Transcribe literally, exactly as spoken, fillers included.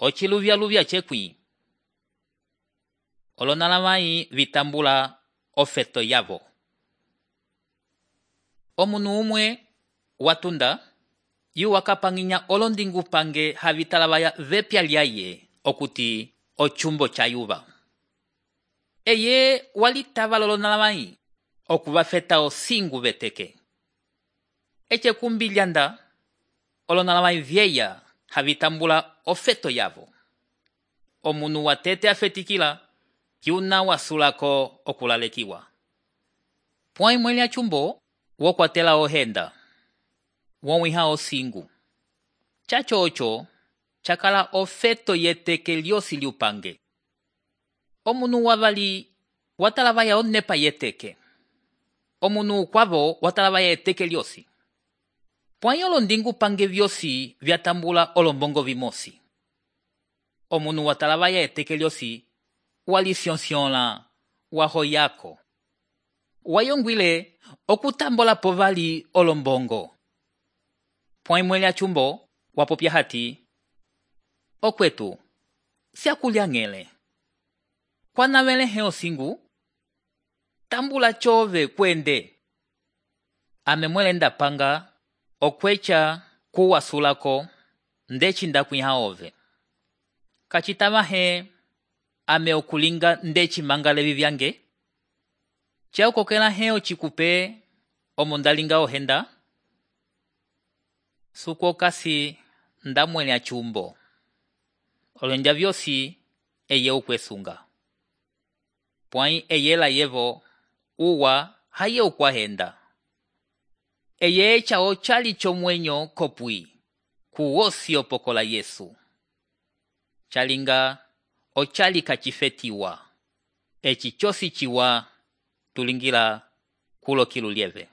ociluvyaluvya cekwi. Olonalavai vitambula ofeto yavo. Omunu umwe watunda yu wakapanginya olondingupange havitalavaya vepya lyaye okuti ocumbo chayuva. Eye walitava lolonalavai okuvafeta osingu veteke. Eche kumbilyanda olonalavai vyeya havitambula ofeto yavo. Omunu watete afetikila yuna wasulako okulalekiwa. Pwai mweli achumbo wokwatela ohenda. Wonwiha osingu. Chacho ocho chakala ofeto yeteke lyosi liupange. Omunu wavali watalavaya onepa yeteke. Omunu kwavo watalavaya eteke lyosi. Pwai olondingu pange vyosi vyatambula olombongo vimosi. Omunu watalavaya eteke lyosi walisionsiola wahoyako. Wayongwile okutambola povali olombongo. Pwai mweli achumbo wapopya hati, okwetu, siakulya ngele. Kwanavele heo singu, tambula chove kwende. Ame mwelenda panga, okwecha kuwasulako, ndechi ndakwiha ove. Kachitava he, ame okulinga ndechi mangalevi vyange. Chao kokela heo chikupe, omondalinga ohenda. Suko kasi ndamwele achumbo. Olonja vyosi eye ukwesunga. Pwai eye la yevo uwa haye ukwahenda. Eye echa ochali chomwenyo kopui kuwosi opokola Yesu. Chalinga ochali kachifetiwa. Echi chosi chiwa tulingila kulo kilu lieve.